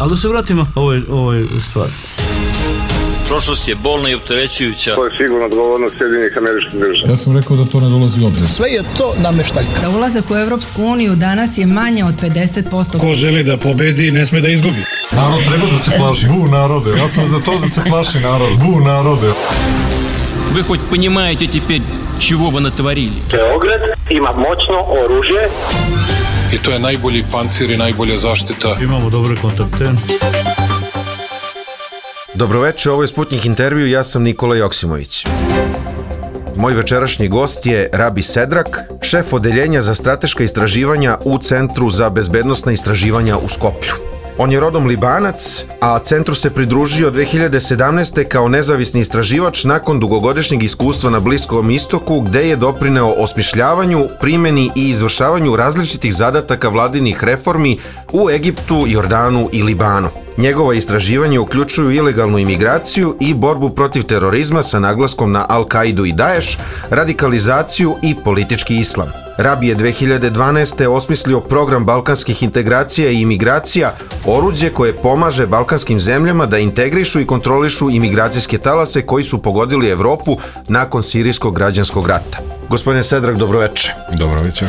Ali da se vratimo ovoj stvari. Prošlost je bolna i opterećujuća. To je sigurno odgovornost Sjedinjenih Američkih Država. Ja sam rekao da to ne dolazi u obzir. Sve je to nameštaljka. Za ulazak u Evropsku uniju danas je manje od 50%. Ko želi da pobedi, ne sme da izgubi. Narod treba da se plaši. Bu narode. Ja sam za to da se plaši narod. Bu narode. Вы хоть понимаете теперь, чего вы натворили? Beograd ima moćno oružje. I to je najbolji pancir i najbolja zaštita. Imamo dobre kontakte. Dobroveče, ovo je Sputnik intervju, ja sam Nikola Joksimović. Moj večerašnji gost je Rabi Sedrak, šef odeljenja za strateška istraživanja u Centru za bezbednosna istraživanja u Skoplju. On je rodom Libanac, a centru se pridružio 2017. kao nezavisni istraživač nakon dugogodišnjeg iskustva na Bliskom istoku, gde je doprineo osmišljavanju, primjeni i izvršavanju različitih zadataka vladinih reformi u Egiptu, Jordanu i Libanu. Njegova istraživanja uključuju ilegalnu imigraciju i borbu protiv terorizma sa naglaskom na Al-Kaidu i Daesh, radikalizaciju i politički islam. Rabi je 2012. osmislio program balkanskih integracija i imigracija, oruđe koje pomaže balkanskim zemljama da integrišu i kontrolišu imigracijske talase koji su pogodili Evropu nakon sirijskog građanskog rata. Gospodine Sedrak, dobroveče. Dobroveče.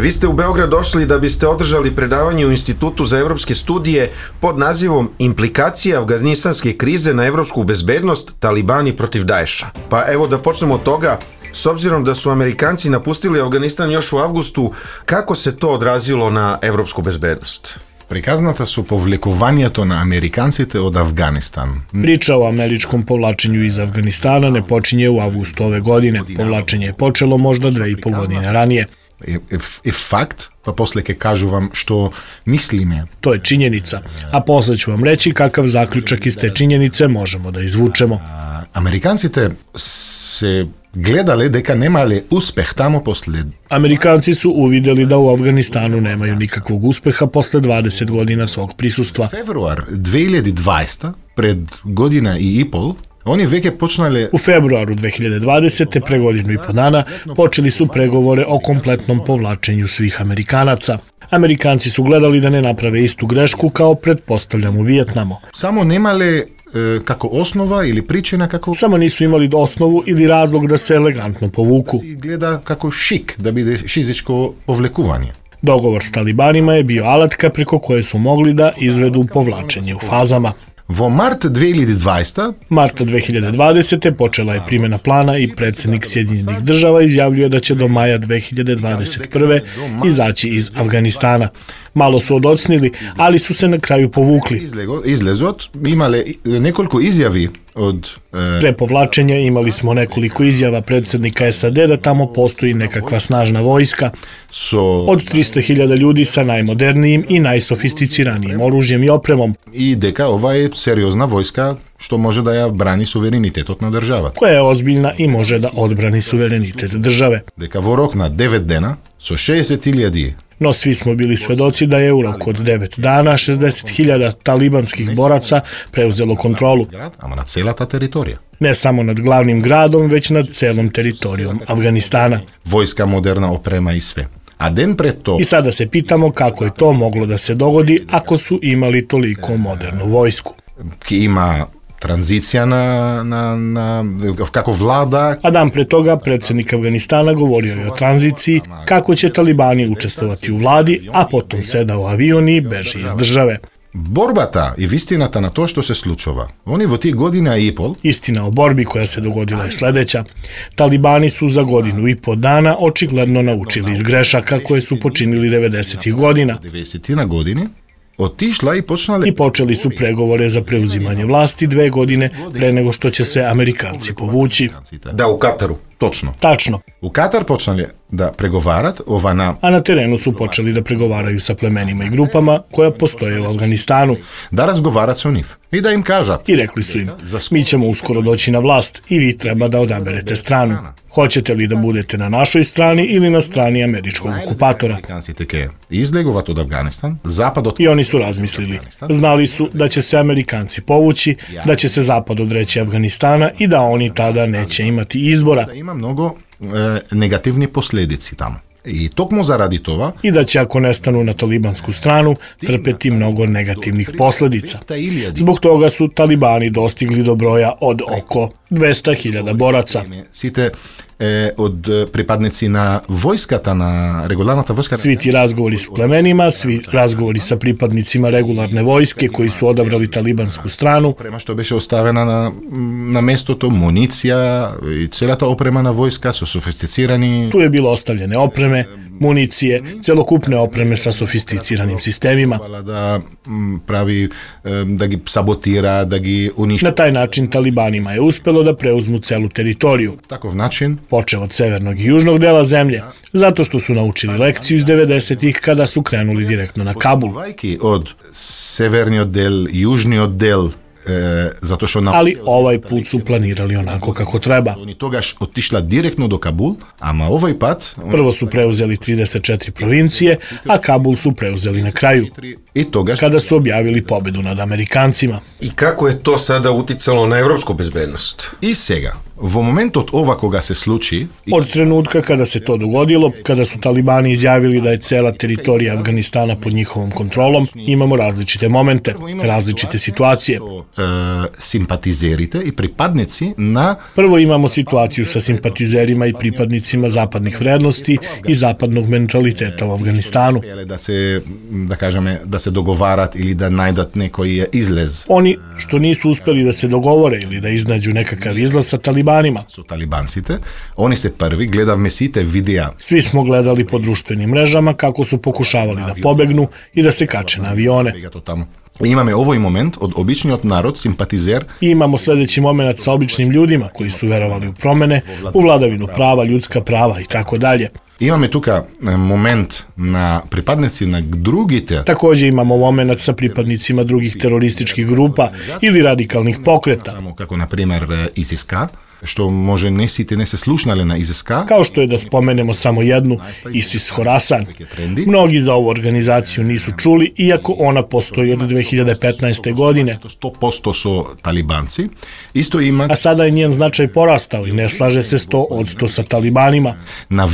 Vi ste u Beograd došli da biste održali predavanje u Institutu za evropske studije pod nazivom Implikacije afganistanske krize na evropsku bezbednost, talibani protiv Daesha. Pa evo da počnemo od toga. S obzirom da su Amerikanci napustili Afganistan još u avgustu, kako se to odrazilo na evropsku bezbednost? Prikazната su povlikovanието на американците од Афганистан. Priča o američkom povlačenju iz Afganistana ne počinje u avgustu ove godine. Povlačenje je počelo možda 2,5 godine ranije. Je fakt, pa posle ke kažu vam što mislime. To je činjenica, a posle ću vam reći kakav zaključak iz te činjenice možemo da izvučemo. Amerikancите se gledale deka nemali uspeh tamo posle. Amerikanci su uvideli da u Afganistanu nemaju nikakvog uspeha posle 20 godina svog prisustva. Februar 2020, pred godina i pol, oni veke počnali. U februaru 2020. pre godinu i po dana počeli su pregovore o kompletnom povlačenju svih Amerikanaca. Amerikanci su gledali da ne naprave istu grešku kao pretpostavljam u Vijetnamu. Samo nemali kako osnova ili pričina kako. Samo nisu imali osnovu ili razlog da se elegantno povuku. Gleda kako šik da bude fizičko povlekuvanje. Dogovor s talibanima je bio alatka preko koje su mogli da izvedu povlačenje u fazama. Vo mart 2020. Marta 2020. počela je primjena plana i predsjednik Sjedinjenih država izjavljuje da će do maja 2021. izaći iz Afganistana. Malo su odocnili, ali su se na kraju povukli. Izlezot, imali nekoliko izjavi od. Pre povlačenja imali smo nekoliko izjava predsjednika SAD da tamo postoji nekakva snažna vojska od 300.000 ljudi sa najmodernijim i najsofisticiranijim oružjem i opremom. I deka ova je seriozna vojska što može da ja brani suverenitetot na država. Koja je ozbiljna i može da odbrani suverenitet države. Deka vo rok na 9 dena so 60.000. No svi smo bili svedoci da je u roku od 9 dana 60.000 talibanskih boraca preuzelo kontrolu. Ama na cela ta teritorija. Ne samo nad glavnim gradom, već nad celom teritorijom Afganistana. Vojska, moderna oprema i sve. A den pred to. I sada se pitamo kako je to moglo da se dogodi ako su imali toliko modernu vojsku. Ki ima tranzicija kako vlada. A dan pre toga predsjednik Afganistana govorio je o tranziciji, kako će talibani učestvovati u vladi, a potom seda u avion i beži iz države. Borbata i istinata na to što se slučava. Oni vo tih godina i pol. Istina o borbi koja se dogodila je sledeća. Talibani su za godinu i po dana očigledno naučili iz grešaka koje su počinili 90. godina. 90. godine. Otišla i počnala. I počeli su pregovore za preuzimanje vlasti 2 godine pre nego što će se Amerikanci povući. Da, u Kataru. Točno. Tačno. U Katar počnali da pregovarat A na terenu su počeli da pregovaraju sa plemenima i grupama koja postoje u Afganistanu. Da razgovarat sa njih i da im kaža. I rekli su im, mi ćemo uskoro doći na vlast i vi treba da odaberete stranu. Hoćete li da budete na našoj strani ili na strani američkog okupatora? I oni su razmislili. Znali su da će se Amerikanci povući, da će se zapad odreći Afganistana i da oni tada neće imati izbora. Da ima mnogo negativni posledici tamo. I tokmo zaradi tova i da će ako nestanu na talibansku stranu trpeti mnogo negativnih posledica. Zbog toga su talibani dostigli do broja od oko 200.000 boraca. Site od pripadnici na vojskata, na regularната vojska. Svi ti razgovori s plemenima, svi razgovori sa pripadnicima regularne vojske koji su odabrali talibansku stranu. Oprema što беше ostavena na mestото, municija i celата oprema na vojska su sofisticirani. Tu je bilo ostavljene opreme, municije, celokupne opreme sa sofisticiranim sistemima. Da pravi, da gi sabotira, da gi uništi. Na taj način talibanima je uspelo da preuzmu celu teritoriju. Takov način. Počeo od severnog i južnog dela zemlje, zato što su naučili lekciju iz 90-ih kada su krenuli direktno na Kabul. Od severni oddel, južni oddel, zato što ali ovaj put su planirali onako kako treba. Oni togaš otišla direktno do Kabul, ama ovaj put... Prvo su preuzeli 34 provincije, a Kabul su preuzeli na kraju, kada su objavili pobedu nad Amerikancima. I kako je to sada uticalo na evropsku bezbednost? I sega. Vo momentu od ovakoga se sluči... Od trenutka kada se to dogodilo, kada su talibani izjavili da je cela teritorija Afganistana pod njihovom kontrolom, imamo različite momente, različite situacije. Simpatizerite i pripadnici na... Prvo imamo situaciju sa simpatizerima i pripadnicima zapadnih vrednosti i zapadnog mentaliteta u Afganistanu. Da se dogovarat ili da najdat neki izlez. Oni što nisu uspeli da se dogovore ili da iznađu nekakav izlaz sa talibanima. Su talibansite, oni se prvi, gledavme site videa. Svi smo gledali po društvenim mrežama kako su pokušavali da pobegnu i da se kače na avione. Imamo ovaj moment od obični od narod, simpatizer. I imamo sljedeći moment sa običnim ljudima koji su verovali u promene, u vladavinu prava, ljudska prava i tako dalje. Imamo tuka moment na pripadnici na drugite. Također imamo moment sa pripadnicima drugih terorističkih grupa ili radikalnih pokreta. Kako na primjer ISIS-K, što može ne se slušnali na ISIS-K. Kao što je da spomenemo samo jednu, ISIS Khorasan. Mnogi za ovu organizaciju nisu čuli, iako ona postoji od 2015. godine. 100% su talibanci. Isto ima... A sada je njen značaj porastao i ne slaže se 100% sa talibanima.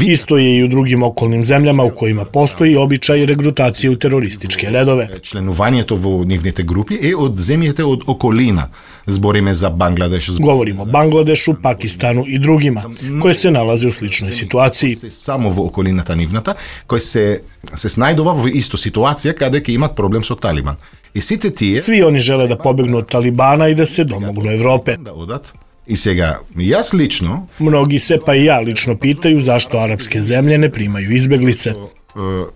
Isto je i u drugim okolnim zemljama u kojima postoji običaj regrutacije u terorističke redove. Členovanje to u njivnite grupi i od zemljete od okolina. Zborime za Bangladeš. Govorimo o Bangladešu, Pakistanu i drugima, koje se nalaze u sličnoj situaciji. Samo v okolinata nivnata, koje se snajdova v isto situacija kada će imat problem s Taliban. Svi oni žele da pobegnu od Talibana i da se domognu Evrope. I sega, jas lično... Mnogi se, pa i ja lično pitaju zašto arapske zemlje ne primaju izbeglice.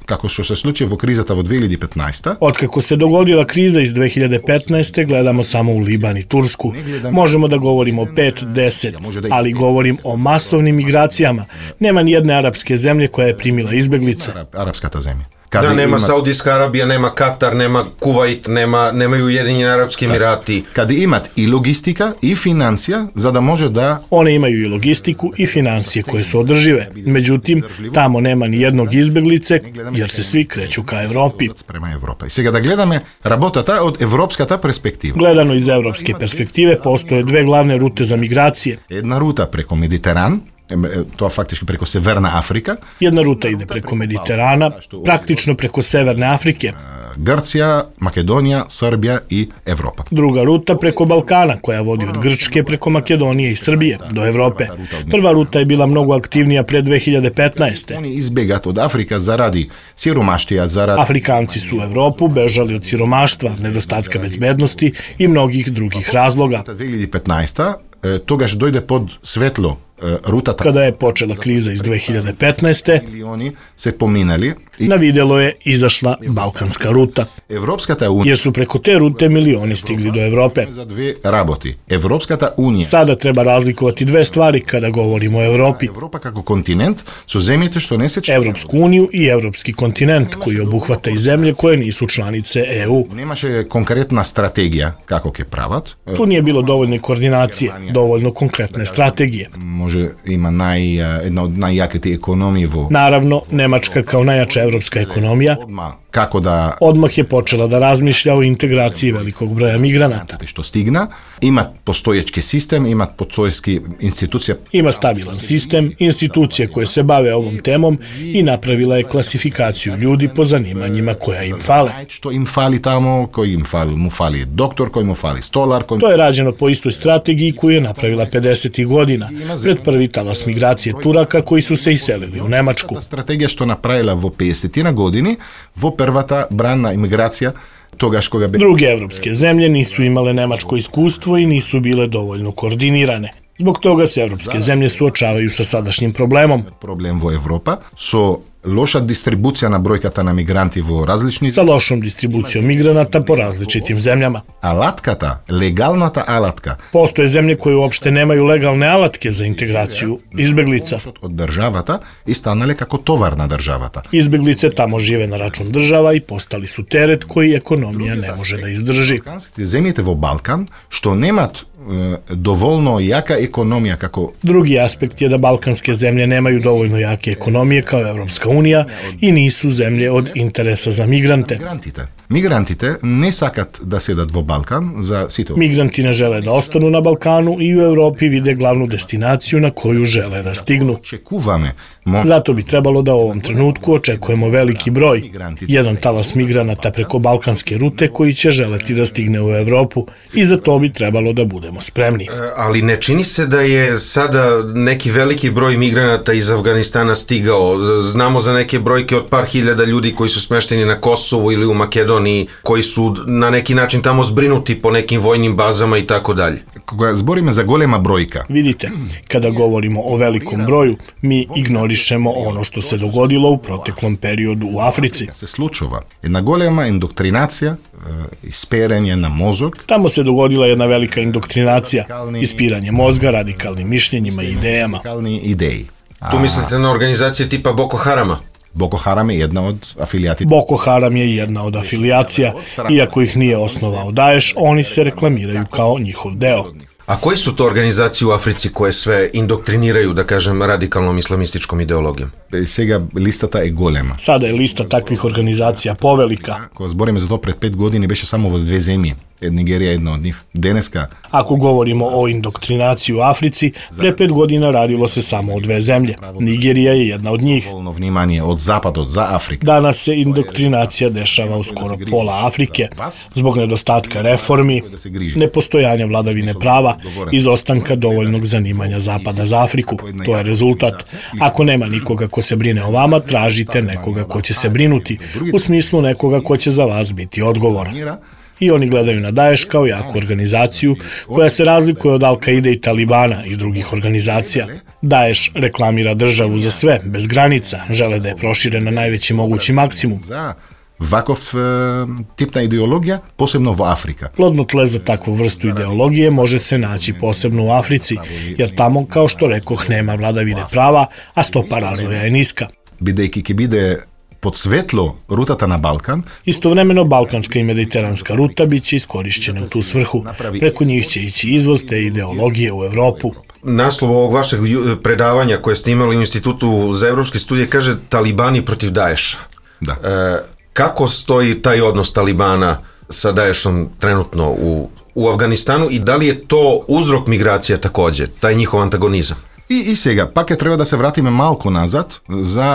Kako što se slučaje u krizata u 2015. Otkako se dogodila kriza iz 2015. gledamo samo u Liban i Tursku. Možemo da govorimo o 5-10, ali govorim o masovnim migracijama. Nema ni jedne arapske zemlje koja je primila izbeglica. Arapska ta zemlja. Da, nema Saudijska Arabija, nema Katar, nema Kuvajt, nemaju Ujedinjeni Arapski Emirati. Kada imat i logistika i financija, za da može da... One imaju i logistiku i financije koje su održive. Međutim, tamo nema ni jednog izbeglice, jer se svi kreću ka Evropi. Prema Evropa. I sada da gledame rabotata od evropskata perspektiva. Gledano iz evropske perspektive, postoje dve glavne rute za migracije. Jedna ruta preko Mediteran, to je faktički preko Severna Afrika. Jedna ruta ide preko Mediterana, praktično preko Severne Afrike. Grcija, Makedonija, Srbija i Evropa. Druga ruta preko Balkana, koja vodi od Grčke preko Makedonije i Srbije do Evrope. Prva ruta je bila mnogo aktivnija pre 2015. Oni izbjegat od Afrika zaradi siromaštija, zaradi... Afrikanci su u Evropu bežali od siromaštva, nedostatka bezbednosti i mnogih drugih razloga. 2015. Togaš dojde pod svetlo ruta. Kada je počela kriza iz 2015. Milioni se pominali. Na vidjelo je izašla Balkanska ruta. Evropskata unija. Jer su preko te rute milioni stigli do Evrope. Za dve raboti. Evropskata unija. Sada treba razlikovati dve stvari kada govorimo o Evropi. Evropa kako kontinent su zemlje što ne se... Evropsku uniju i evropski kontinent koji obuhvata i zemlje koje nisu članice EU. Nemaše konkretna strategija kako ke pravat. Tu nije bilo dovoljne koordinacije, dovoljno konkretne strategije. ima jedna od najjakih ekonomije. Naravno, Nemačka kao najjača evropska ekonomija odmah je počela da razmišlja o integraciji velikog broja migranata. Što stigna, ima postojeći sistem, ima postojećki institucija. Ima stabilan sistem, institucije koje se bave ovom temom i napravila je klasifikaciju ljudi po zanimanjima koja im fale. Što im fali tamo, koji im fali, mu fali doktor, koji mu fali stolar. To je rađeno po istoj strategiji koju je napravila 50. godina, pred prvi talas migracije Turaka koji su se iselili u Nemačku. Strategija što napravila v 50. godini, prvata branna imigracija togaškoga. Druge evropske zemlje nisu imale nemačko iskustvo i nisu bile dovoljno koordinirane. Zbog toga se evropske zemlje suočavaju sa sadašnjim problemom. Problem vo Evropa su loša distribucija na brojkata na migranti vo različni. Sa lošom distribucijom migranata po različitim zemljama. Alatkata, legalnata alatka. Postoje zemlje koje uopšte nemaju legalne alatke za integraciju izbeglica. Od državata i stanale kako tovarna državata. Izbeglice tamo žive na račun država i postali su teret koji ekonomija ne može da izdrži. Zemljete vo Balkan, što nemat dovoljno jaka ekonomija kako... Drugi aspekt je da balkanske zemlje nemaju dovoljno jake ekonomije kao Evropska unija i nisu zemlje od interesa za migrante. Migrantite ne sakat da sedat vo Balkan za sito. Migranti ne žele da ostanu na Balkanu i u Evropi vide glavnu destinaciju na koju žele da stignu. Zato bi trebalo da u ovom trenutku očekujemo veliki broj. Jedan talas migranata preko balkanske rute koji će želeti da stigne u Evropu i za to bi trebalo da budemo spremni. Ali ne čini se da je sada neki veliki broj migranata iz Afganistana stigao. Znamo za neke brojke od par hiljada ljudi koji su smešteni na Kosovu ili u Makedoniji, koji su na neki način tamo zbrinuti po nekim vojnim bazama i tako dalje. Koga zborime za golema brojka. Vidite, kada govorimo o velikom broju, mi ignorišemo ono što se dogodilo u proteklom periodu u Africi. Se slučava jedna golema indoktrinacija, ispiranje na mozog. Tamo se dogodila jedna velika indoktrinacija, ispiranje mozga radikalnim mišljenjima i idejama. Tu mislite na organizacije tipa Boko Harama? Boko Haram je jedna od afilijacija. Boko Haram je jedna od afilijacija, iako ih nije osnovao Daesh, oni se reklamiraju kao njihov deo. A koje su to organizacije u Africi koje sve indoktriniraju, da kažem, radikalnom islamističkom ideologijom? Sega listata je golema. Sada je lista takvih organizacija povelika. Ko zborime za to pred 5 godini, beše samo v 2 zemlje. Nigerija je jedna od njih. Deneska. Ako govorimo o indoktrinaciji u Africi, pre 5 godina radilo se samo o 2 zemlje. Nigerija je jedna od njih. Vnimanje od zapada, za Afriku. Danas se indoktrinacija dešava u skoro pola Afrike, zbog nedostatka reformi, nepostojanja vladavine prava, izostanka dovoljnog zanimanja Zapada za Afriku. To je rezultat. Ako nema nikoga ko se brine o vama, tražite nekoga ko će se brinuti, u smislu nekoga ko će za vas biti odgovoran. I oni gledaju na Daesh kao jaku organizaciju koja se razlikuje od Al-Kaide i Talibana i drugih organizacija. Daesh reklamira državu za sve, bez granica, žele da je prošire na najveći mogući maksimum. Vakov tipna ideologija, posebno u Afrika. Plodno tle za takvu vrstu ideologije može se naći posebno u Africi, jer tamo, kao što rekoh, nema vladavine prava, a stopa razvoja je niska. Bidejki bide pod svetlo rutata na Balkan. Istovremeno, balkanska i mediteranska ruta bit će iskorišćene u tu svrhu. Preko njih će ići izvoz te ideologije u Evropu. Naslov ovog vašeg predavanja koje ste imali u Institutu za evropske studije kaže Talibani protiv Daesha. Da. Kako stoji taj odnos Talibana sa Daeshom trenutno u Afganistanu i da li je to uzrok migracija također, taj njihov antagonizam? I sega, pak je treba da se vratime malko nazad,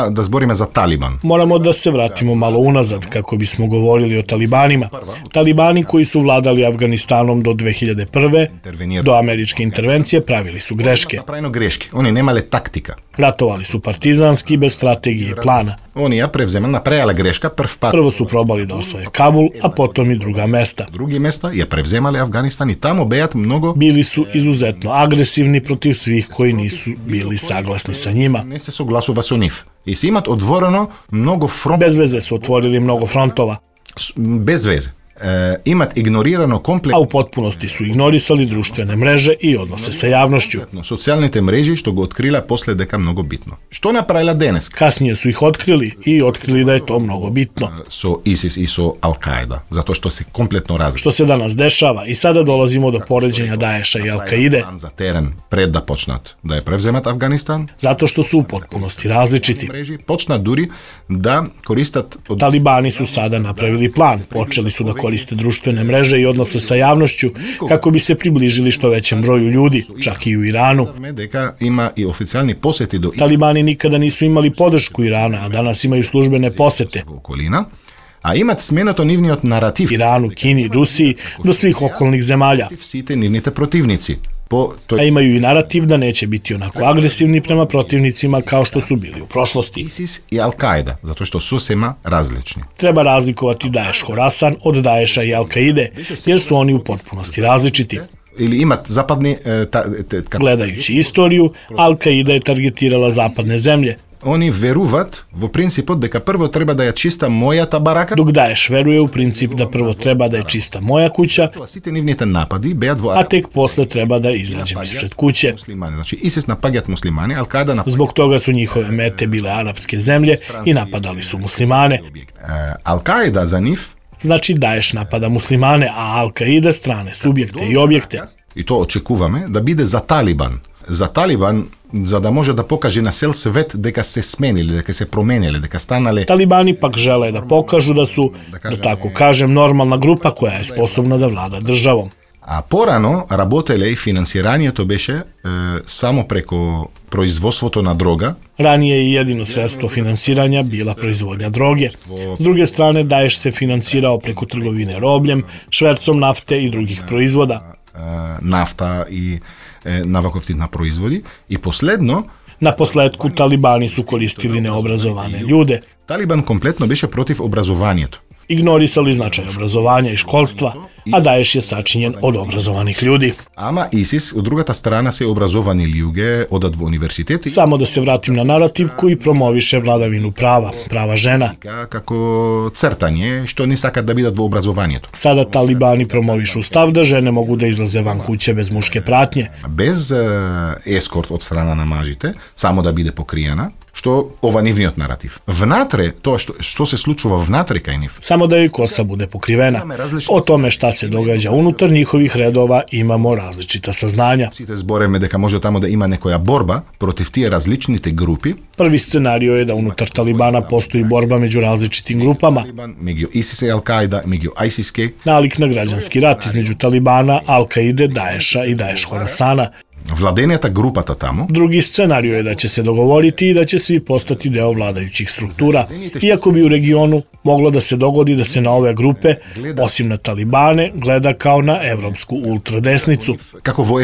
da zborime za Taliban. Moramo da se vratimo malo unazad kako bismo govorili o Talibanima. Talibani koji su vladali Afganistanom do 2001. do američke intervencije pravili su greške. Napravljeno greške, oni nemale taktika. Ratovali su partizanski, bez strategije i plana. Oni je napravila greška, prvo su probali da osvoje Kabul, a potom i druga mesta. Drugi mesta je prevzemali Afganistan i tamo bejat mnogo... Bili su izuzetno agresivni protiv svih koji nisu bili saglasni sa njima. Ne se suglasува su njih. I si imat odvoreno mnogo frontova. Bez veze su otvorili mnogo frontova. Bez veze. imat ignorirano A kompletno u potpunosti su ignorisali društvene mreže i odnose sa javnošću. socijalne mreže, što ga otkrila posle deka mnogo bitno. Što napravila danas Kasnije su ih otkrili i otkrili da je to mnogo bitno. so ISIS i so Al-Qaeda, zato što se kompletno različite. Što se danas dešava i sada dolazimo do poređenja Daesha i Al-Kaide, Za teren pred da počnat da je prevzemat Afganistan, zato što su u potpunosti različiti. mreži počnat duri da koristat od Talibani su sada napravili plan, počeli su da koriste društvene mreže i odnose sa javnošću kako bi se približili što većem broju ljudi, čak i u Iranu. deka ima i oficijalni posjeti do Talibani nikada nisu imali podršku Irana, a danas imaju službene posete okolina, a imat smenato nivniot narativ Iranu, Kini, Rusiji, do svih okolnih zemalja. svi te nivnite protivnici. A imaju i narativ da neće biti onako agresivni prema protivnicima kao što su bili u prošlosti. ISIS i Al-Qaeda, zato što su sema različni. Treba razlikovati Daesh Khorasan od Daesha i Al-Kaide, jer su oni u potpunosti različiti. Ili imat zapadni... Gledajući istoriju, Al-Kaida je targetirala zapadne zemlje, Oni veruvat v principu deka prvo treba da je čista moja ta baraka, dok Daesh veruje u princip da prvo treba da je čista moja kuća, a svi te nivnite napadi beja a tek posle treba da izađem ispred kuće. muslimani. Znači ISIS napagat muslimani, Al-Qaeda napagat Zbog toga su njihove mete bile arapske zemlje i napadali su muslimane. Al-Qaeda za njih Znači Daesh napada muslimane, a Al-Kaida strane subjekte i objekte. i to očekujeme, da bide za Taliban. Za Taliban, za da može da pokaže na cel svet deka se smenili, deka se promenili, deka stanali. Talibani pak žele da pokažu da su, da tako kažem, normalna grupa koja je sposobna da vlada državom. A porano rabotele i finansiranje to beše samo preko proizvodstvo na droga. Ranije je jedino sredstvo finansiranja bila proizvodnja droge. S druge strane, Daesh se finansirao preko trgovine robljem, švercom nafte i drugih proizvoda. Nafta i navakovtitna proizvodi. I posledno, Na posledku, Talibani su koristili neobrazovane ljude, Taliban kompletno beše protiv obrazovanjetu. ignorisali značaj obrazovanja i školstva, a Daesh je sačinjen od obrazovanih ljudi. Ama ISIS, u drugata strana se obrazovani ljuge odat v univerziteti. Samo da se vratim na narativ koji promoviše vladavinu prava, prava žena. Kako crtanje, što ni sakat da bidat v obrazovanjetu. Sada Talibani promovišu stav da žene mogu da izlaze van kuće bez muške pratnje. Bez eskort od strana namažite, samo da bide pokrijana, što ova nivniot narativ. Vnatre, to što se slučuva vnatre kaj niv. Samo da joj kosa bude pokrivena. O tome šta se događa unutar njihovih redova imamo različita saznanja. Site zboreme deka može tamo da ima nekoja borba protiv tije različnite grupi. Prvi scenario je da unutar Talibana postoji borba među različitim grupama. Među ISIS i Al-Qaeda, među ISIS-ke. Nalik na građanski rat između Talibana, Al-Kaide, Daesha i Daesh Khorasana. Vladenjata grupata tamo. Drugi scenario je da će se dogovoriti i da će svi postati deo vladajućih struktura. Iako bi u regionu moglo da se dogodi da se na ove grupe, osim na Talibane, gleda kao na evropsku ultradesnicu. Kako vo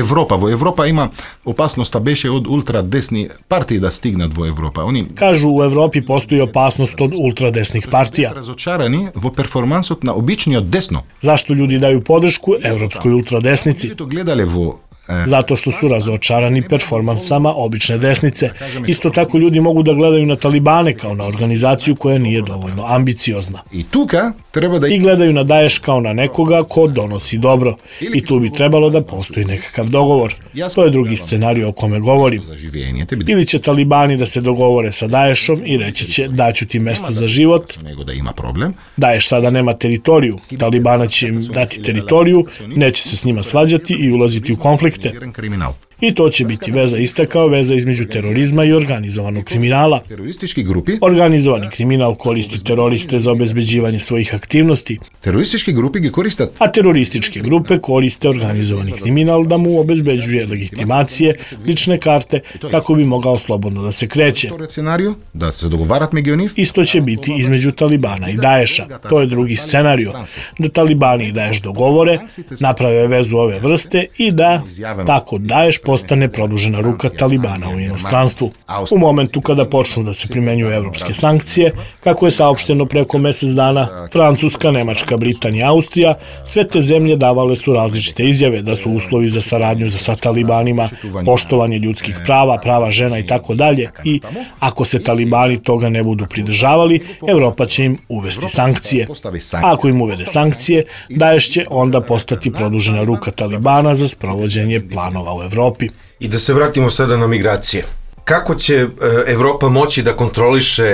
Evropa ima opasnost da beše od ultradesni partiji da stigne vo Evropa. Oni Kažu u Evropi postoji opasnost od ultradesnih partija. razočarani vo performansot na obični od desno. Zašto ljudi daju podršku evropskoj ultradesnici? To gledale vo Zato što su razočarani performansama obične desnice. Isto tako ljudi mogu da gledaju na Talibane kao na organizaciju koja nije dovoljno ambiciozna. i tuka treba da I gledaju na Daesh kao na nekoga ko donosi dobro. I tu bi trebalo da postoji nekakav dogovor. To je drugi scenarij o kome govorim. zaživljenje te bi Ili će Talibani da se dogovore sa Daeshom i reći će daću ti mesto za život. nego da ima problem. Daesh sada nema teritoriju. Talibana će im dati teritoriju, neće se s njima svađati i ulaziti u konflikte. Kriminal. I to će biti veza ista kao veza između terorizma i organizovanog kriminala. Teroristički grupi, Organizovani kriminal koristi teroriste za obezbeđivanje svojih aktivnosti, teroristički grupi gi koristat a terorističke grupe koriste organizovani kriminal da mu obezbeđuje legitimacije, lične karte, kako bi mogao slobodno da se kreće. to scenariju, da se dogovarat među njih. Isto će biti između Talibana i Daesha. To je drugi scenario. Da Talibani i Daesh dogovore, naprave vezu ove vrste i da tako Daesh postane produžena ruka Talibana u inostranstvu. U momentu kada počnu da se primenjuju evropske sankcije, kako je saopšteno preko mesec dana, Francuska, Nemačka, Britanija, Austrija, sve te zemlje davale su različite izjave da su uslovi za saradnju sa Talibanima, poštovanje ljudskih prava, prava žena i tako dalje, i ako se Talibani toga ne budu pridržavali, Evropa će im uvesti sankcije. A ako im uvede sankcije, Daesh će onda postati produžena ruka Talibana za sprovođenje planova u Evropi. I da se vratimo sada na migracije. Kako će Evropa moći da kontroliše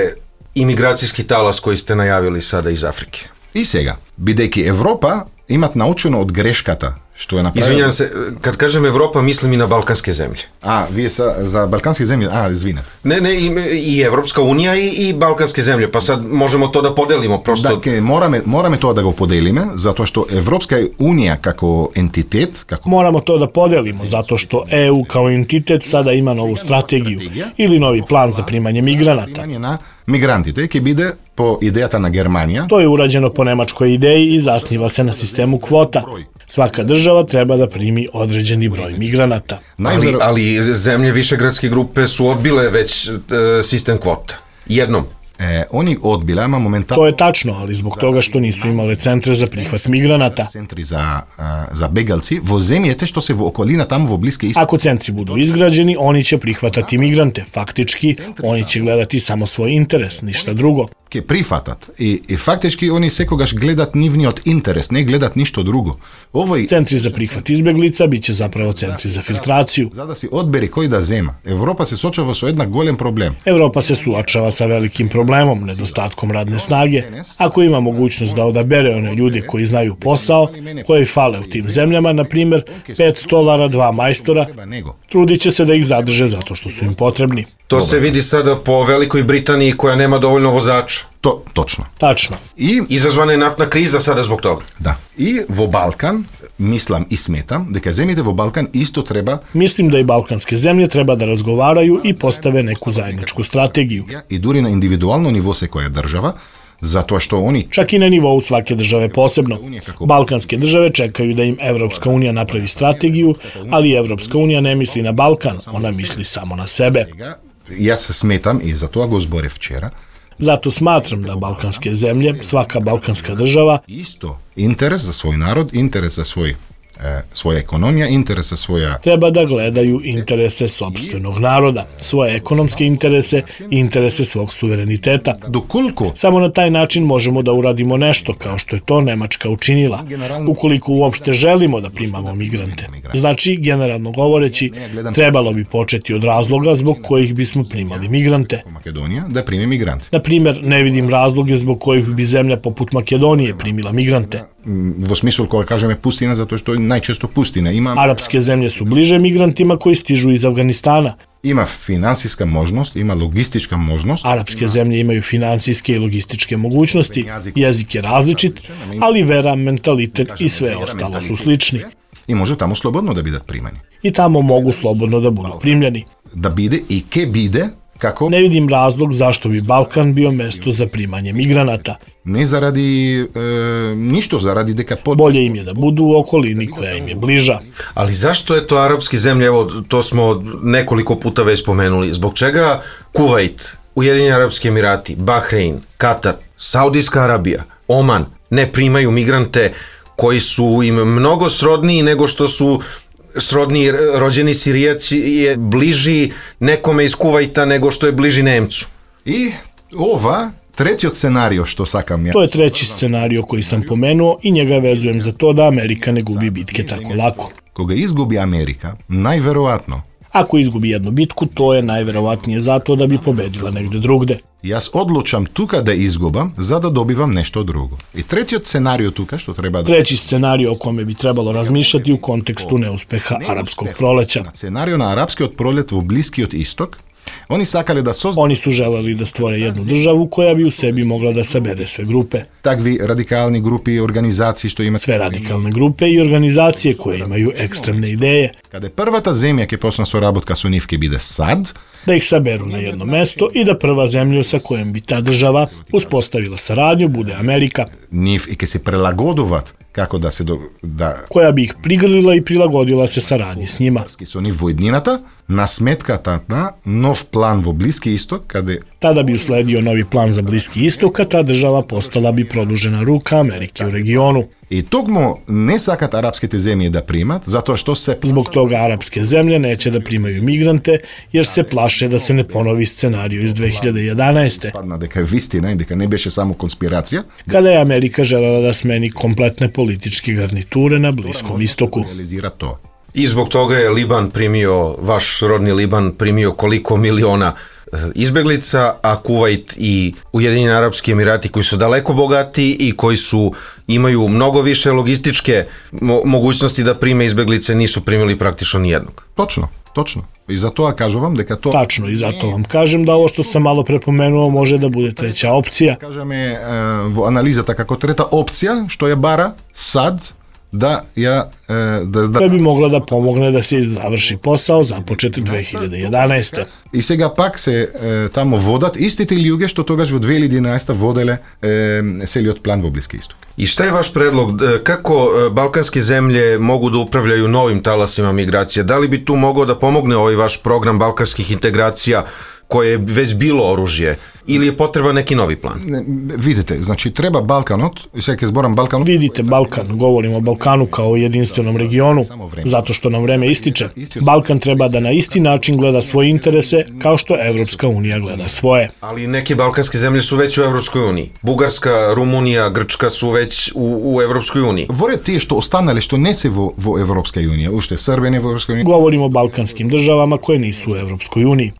imigracijski talas koji ste najavili sada iz Afrike? И сега, бидејќи Европа имат научено од грешката што е направила... Извинјавам се, kad kažem Evropa, mislim i na balkanske zemlje. Вие за балкански земји, извинете. Ne, i Evropska unija i balkanske zemlje, pa sad možemo to da podelimo prosto. Да, morаме тоа да го поделиме, затоа што Европска унија како ентитет, Moramo to da podelimo, zato što EU kao entitet sada ima novu strategiju ili novi plan za primanje migranata. на мигрантите ќе биде по идејата на Германија. To je urađeno po nemačkoj ideji i zasniva se na sistemu kvota. Svaka država treba da primi određeni broj migranata. Ali zemlje Višegradske grupe su odbile već sistem kvota. Jednom. Oni odbile, ama momentalno... To je tačno, ali zbog toga što nisu imale centre za prihvat migranata. Centri za begalci vo zemljete što se vo okolina tamo vo bliske istoke. Ako centri budu izgrađeni, oni će prihvatati migrante. Faktički, oni će gledati samo svoj interes, ništa drugo. Ке прифатат. И фактички они секогаш гледат нивниот интерес, не гледат ништо друго. Centri za prihvat izbeglica biće zapravo centri za filtraciju. За да си одбери кој да зема. Европа се сочува со една голем проблем. Evropa se suočava sa velikim problemom, nedostatkom radne snage. Ako ima mogućnost da odabere one ljude koji znaju posao, koji fale u tim zemljama, na primjer, 5 stolara, 2 majstora, trudit će se da ih zadrže zato što su im potrebni. To se vidi sada po Velikoj Britaniji koja nema dovoljno vozača. Точно. Tačno. И izazvana je naftna kriza sada zbog toga. Да. И во Балкан, мислам и сметам, дека земјите во Балкан исто треба... Mislim da i balkanske zemlje treba da razgovaraju i postave neku zajedničku strategiju. И дури на индивидуално ниво секоја држава, zato što oni... Čak i na nivou svake države posebno. Balkanske države čekaju da im Evropska unija napravi strategiju, ali Evropska unija ne misli na Balkan, ona misli samo na sebe. Јас сметам, и за тоа го зборев вчера, Zato smatram da balkanske zemlje, svaka balkanska država, isto interes za svoj narod, interes za svoja ekonomija, interes za svoja... treba da gledaju interese sopstvenog naroda, svoje ekonomske interese i interese svog suvereniteta. Dokoliko? Samo na taj način možemo da uradimo nešto, kao što je to Nemačka učinila, ukoliko uopšte želimo da primamo migrante. Znači, generalno govoreći, trebalo bi početi od razloga zbog kojih bismo primali migrante. Makedonija da primi migrante. Na primjer, ne vidim razloge zbog kojih bi zemlja poput Makedonije primila migrante. Во смисол кога кажеме пустина, затоа што најчесто пустина има... Arapske zemlje su bliže migrantima koji stižu iz Afganistana. Има финансиска можност, има логистичка можност. Arapske zemlje imaju finansijske i logističke mogućnosti, jezik je različit, ali vera, mentalitet i sve ostalo su slični. И може таму слободно да бидат примани. I tamo mogu slobodno da budu primljeni. Да биде и ке биде како... Ne vidim razlog zašto bi Balkan bio mesto za primanje migranata. Не заради ништо, заради дека... Bolje im je da budu u okolini koja im je bliža. Ali zašto je to arapske zemlje, evo to smo nekoliko puta već spomenuli, zbog čega Kuvajt, Ujedinjeni Arapski Emirati, Bahrein, Katar, Saudijska Arabija, Oman ne primaju migrante koji su im mnogo srodniji nego što su srodni rođeni Sirijac je bliži nekome iz Kuvajta nego što je bliži Nemcu. I ova trećiот scenario što sakam ja. To je treći scenario koji sam pomenuo i njega vezujem za to da Amerika ne gubi bitke tako lako. Кога изгуби Америка, најверојатно. Ako izgubi jednu bitku, to je najverovatnije zato da bi pobedila negde drugde. Јас одлучам тука да изгубам за да добивам нешто друго. И третиот сценарио тука што треба да... Treći scenario o kome bi trebalo razmišljati u kontekstu neuspeha arapskog proleća. Сценарио на арапскиот пролет во Блискиот исток. Oni sakali da Oni su želeli da stvore jednu državu koja bi u sebi mogla da sabere sve grupe. Takvi radikalni grupi i organizacije što ima... Sve radikalne grupe i organizacije koje imaju ekstremne ideje. Kada je prvata zemlja ke posna sorabotka su nivke bide sad, da ih saberu na jedno mesto i da prva zemlja sa kojom bi ta država uspostavila saradnju bude Amerika. Нив и ке се прелагодуваат како да се koja bi ih prigrlila i prilagodila se saradnji s njima. со ниво еднината на сметката на нов план во Блиски исток каде Tada bi usledio novi plan za Bliski istok, a ta država postala bi produžena ruka Amerike u regionu. И тогму не сакат арапските земји да примат, затоа што се Zbog toga arapske zemlje neće da primaju migrante, jer se plaše da se ne ponovi scenariju iz 2011. падна дека е вистина и дека не беше само конспирација, Kada je Amerika želela da smeni kompletne političke garniture na Bliskom istoku. реализира тоа. I zbog toga je Liban primio, vaš rodni Liban primio koliko miliona izbeglica, a Kuvajt i Ujedinjeni Arapski Emirati koji su daleko bogati i koji imaju mnogo više logističke mogućnosti da prime izbeglice, nisu primili praktično nijednog. Точно. И затоа кажувам дека тоа Tačno, i zato vam kažem da ovo što sam malo prepomenuo može da bude treća opcija. кажеме во анализата како трета опција што ја бара САД да ја koja bi mogla da pomogne da se završi posao započet 2011. И сега пак се тамо водат истите луѓе што тогаш во 2011 воделе целиот план во Блиски исток. I šta je vaš predlog? Kako balkanske zemlje mogu da upravljaju novim talasima migracija? Da li bi tu mogao da pomogne ovaj vaš program balkanskih integracija koje je već bilo oružje? Ili je potreban neki novi plan? Видите, значи треба Балканот, и сега ќе зборам Балканот. Vidite Balkan, govorimo o Balkanu kao o jedinstvenom regionu, zato što nam vreme ističe. Balkan treba da na isti način gleda svoje interese kao što Evropska unija gleda svoje. Ali neke balkanske zemlje su već u Evropskoj uniji. Bugarska, Rumunija, Grčka su već u Evropskoj uniji. Воре тие што останале што не се во Европска унија, уште Србија не во Европска унија, Govorimo o balkanskim državama koje nisu u Evropskoj uniji.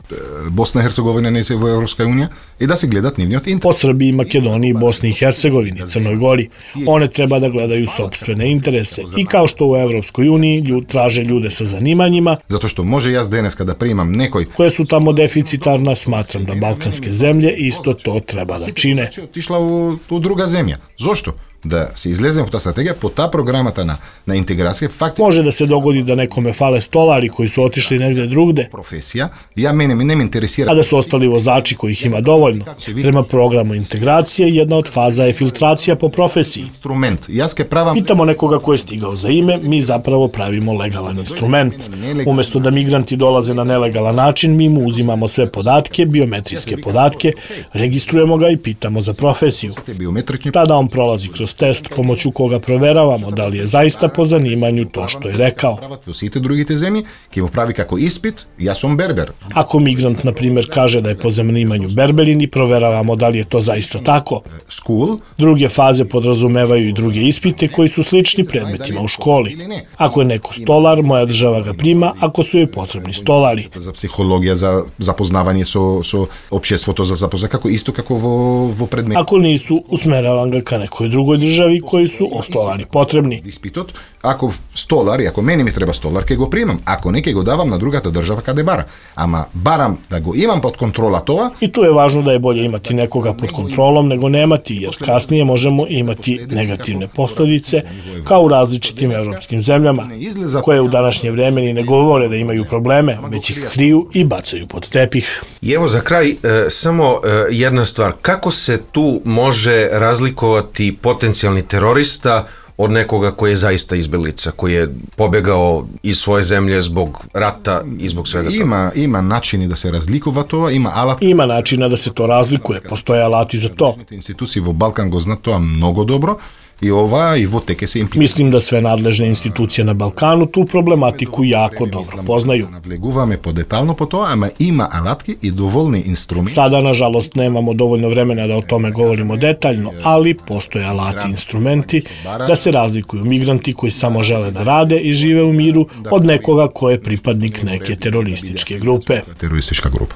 Босна и Херцеговина не се во Европска унија, и да се гледат нивниот Po интерес. Srbiji, Makedoniji, Bosni i Hercegovini, Crnoj Gori. One treba da gledaju sopstvene interese i kao što u Evropskoj uniji traže ljude sa zanimanjima Затоа што може јас денеска да примам некој koje su tamo deficitarna, smatram da balkanske zemlje isto to treba da čine. отишла у друга земја. Зошто? Да се излезем по таа стратегија, по таа програмата на интеграција, факти Može da se dogodi da nekome fale stolari koji su otišli negde drugde, професија, ја мене не ме интересира. a da su ostali vozači kojih ima dovoljno. Prema programu integracije, jedna od faza je filtracija po profesiji. Инструмент. Јас ке правам Pitamo nekoga ko je stigao za ime, mi zapravo pravimo legalan instrument. Umesto da migranti dolaze na nelegalan način, mi mu uzimamo sve podatke, biometrijske podatke, registrujemo ga i pitamo za profesiju. биометрични Tada on prolazi kroz test pomoću koga proveravamo da li je zaista po zanimanju to što je rekao. прават во сите другите земји, ќе го прави како испит, јас сум бербер. Ako migrant, na primjer, kaže da je po zanimanju berberin i proveravamo da li je to zaista tako. Скул, Druge faze podrazumevaju i druge ispite koji su slični predmetima u školi. Ako je neko stolar, moja država ga prima ako su joj potrebni stolari. за психологија, за запознавање со општеството, за запознавање како во предмет. Ako nisu, usmeravam ga ka nekoj drugoj državi koji su stolari potrebni. Испитот, ако столар, и ако мене ми треба столар, ќе го примам. Ако не, ќе го давам на другата држава каде бара. Ама барам да го имам под контрола тоа. I tu je važno da je bolje imati nekoga pod kontrolom nego nemati, jer kasnije možemo imati negativne posljedice kao u različitim evropskim zemljama, koje u današnje vreme ni ne govore da imaju probleme, već ih kriju i bacaju pod tepih. I evo za kraj samo jedna stvar. Kako se tu može razlikovati potencijalni terorista od nekoga koji je zaista izbeglica, koji je pobegao iz svoje zemlje zbog rata i zbog svega toga? Има начини да се разликува тоа, има алат. Ima načina da se to razlikuje, postoje alati za to. Институции во Балкан го знаат тоа многу добро. И ова и во теке се имплементира. Mislim da sve nadležne institucije na Balkanu tu problematiku jako dobro poznaju. Навлегуваме подетално по тоа, ама има алатки и доволни инструменти. Sada, nažalost, nemamo dovoljno vremena da o tome govorimo detaljno, ali postoje alati i instrumenti da se razlikuju migranti koji samo žele da rade i žive u miru od nekoga ko je pripadnik neke terorističke grupe. Терористичка група.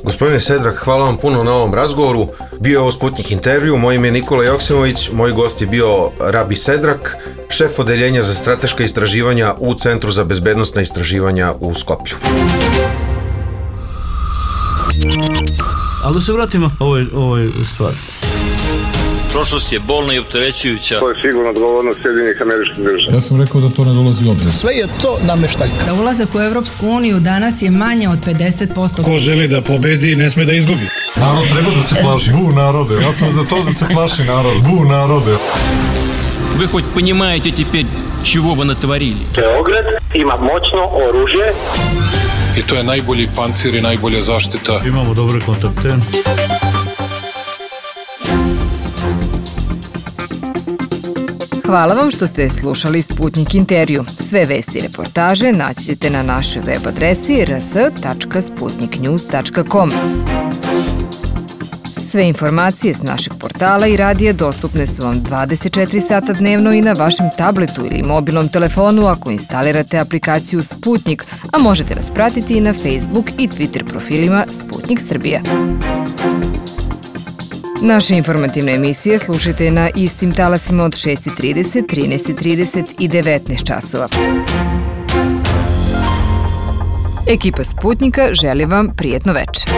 Gospodine Sedrak, hvala vam puno na ovom razgovoru. Bio je ovo Sputnik intervju, moje ime je Nikola Joksimović, moj gost je bio Rabi Sedrak, šef odeljenja za strateška istraživanja u Centru za bezbednosna istraživanja u Skopju. Ali da se vratimo ovoj stvari. Prošlost je bolna i opterećujuća. To je sigurno odgovornost Sjedinjenih Američkih Država. Ja sam rekao da to ne dolazi u obzir. Sve je to nameštaljka. Za ulazak u Evropsku uniju danas je manje od 50%. Ko želi da pobedi, ne sme da izgubi. Narod treba da se plaši. Bu narode. Ja sam za to da se plaši narod. Bu narode. Вы хоть понимаете теперь, чего вы натворили? Beograd ima moćno oružje. I to je najbolji pancir i najbolja zaštita. Imamo dobre kontakte. Hvala vam što ste slušali Sputnik intervju. Sve vesti i reportaže naći ćete na našoj web adresi rs.sputniknews.com. Sve informacije s našeg portala i radija dostupne su vam 24 sata dnevno i na vašem tabletu ili mobilnom telefonu ako instalirate aplikaciju Sputnik, a možete nas pratiti i na Facebook i Twitter profilima Sputnik Srbija. Naše informativne emisije slušajte na istim talasima od 6:30, 13:30 i 19 časova. Ekipa Sputnika želi vam prijetno večer.